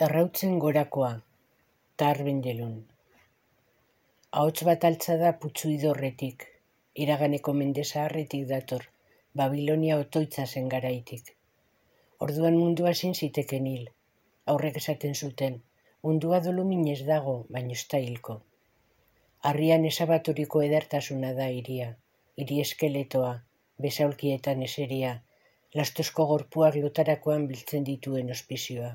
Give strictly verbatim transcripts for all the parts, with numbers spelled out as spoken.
Errautzen gorakoa, Tar Benjelun. Ahots bat altza da putzu idorretik, iraganeko mende zaharretik dator, Babilonia otoitza zen garaitik. Orduan mundua ezin ziteken hil, aurrek esaten zuten, mundua doluminez dago, baino ez da hilko. Harrian esabaturiko edertasuna da hiria, hiri eskeletoa, besaulkietan eseria, lastozko gorpuak lotarakoan biltzen dituen ospizioa.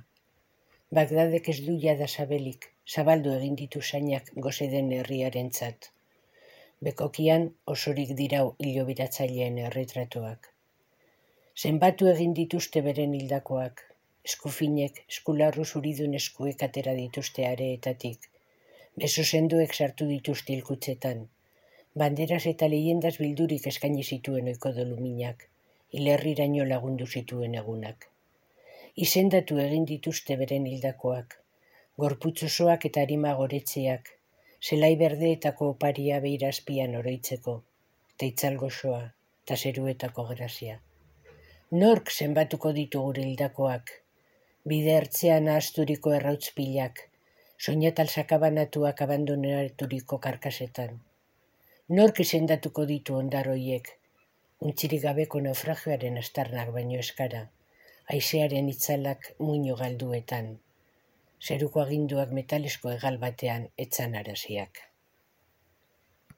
Bagdadek ez du jada sabelik, zabaldu egin ditu sainak gozeden herriarentzat. Bekokian osorik dirau hilobiratzaileen erretratuak. Zenbatu egin dituzte beren hildakoak, eskufinek, eskularru zuridun eskuek atera dituzte areetatik, beso sendoek sartu dituzte hilkutzetan, banderaz eta leyendas bildurik eskaini zituen ohiko doluminak, hilerriraino lagundu zituen egunak. Izendatu egin dituzte beren hildakoak, gorputz osoak eta arima goretzeak, zelai berdeetako oparia beira azpian oroitzeko, eta itzal gozoa, eta zeruetako grazia. Nork zenbatuko ditu gure hildakoak, bide ertzean ahazturiko errautz pilak, soinatal sakabanatuak abandonaturiko karkasetan. Nork izendatuko ditu ondaroiek, untzirik gabeko naufragioaren astarnak baino eskara, haizearen itzalak muino galduetan, zeruko aginduak metalesko hegal batean etzan araziak.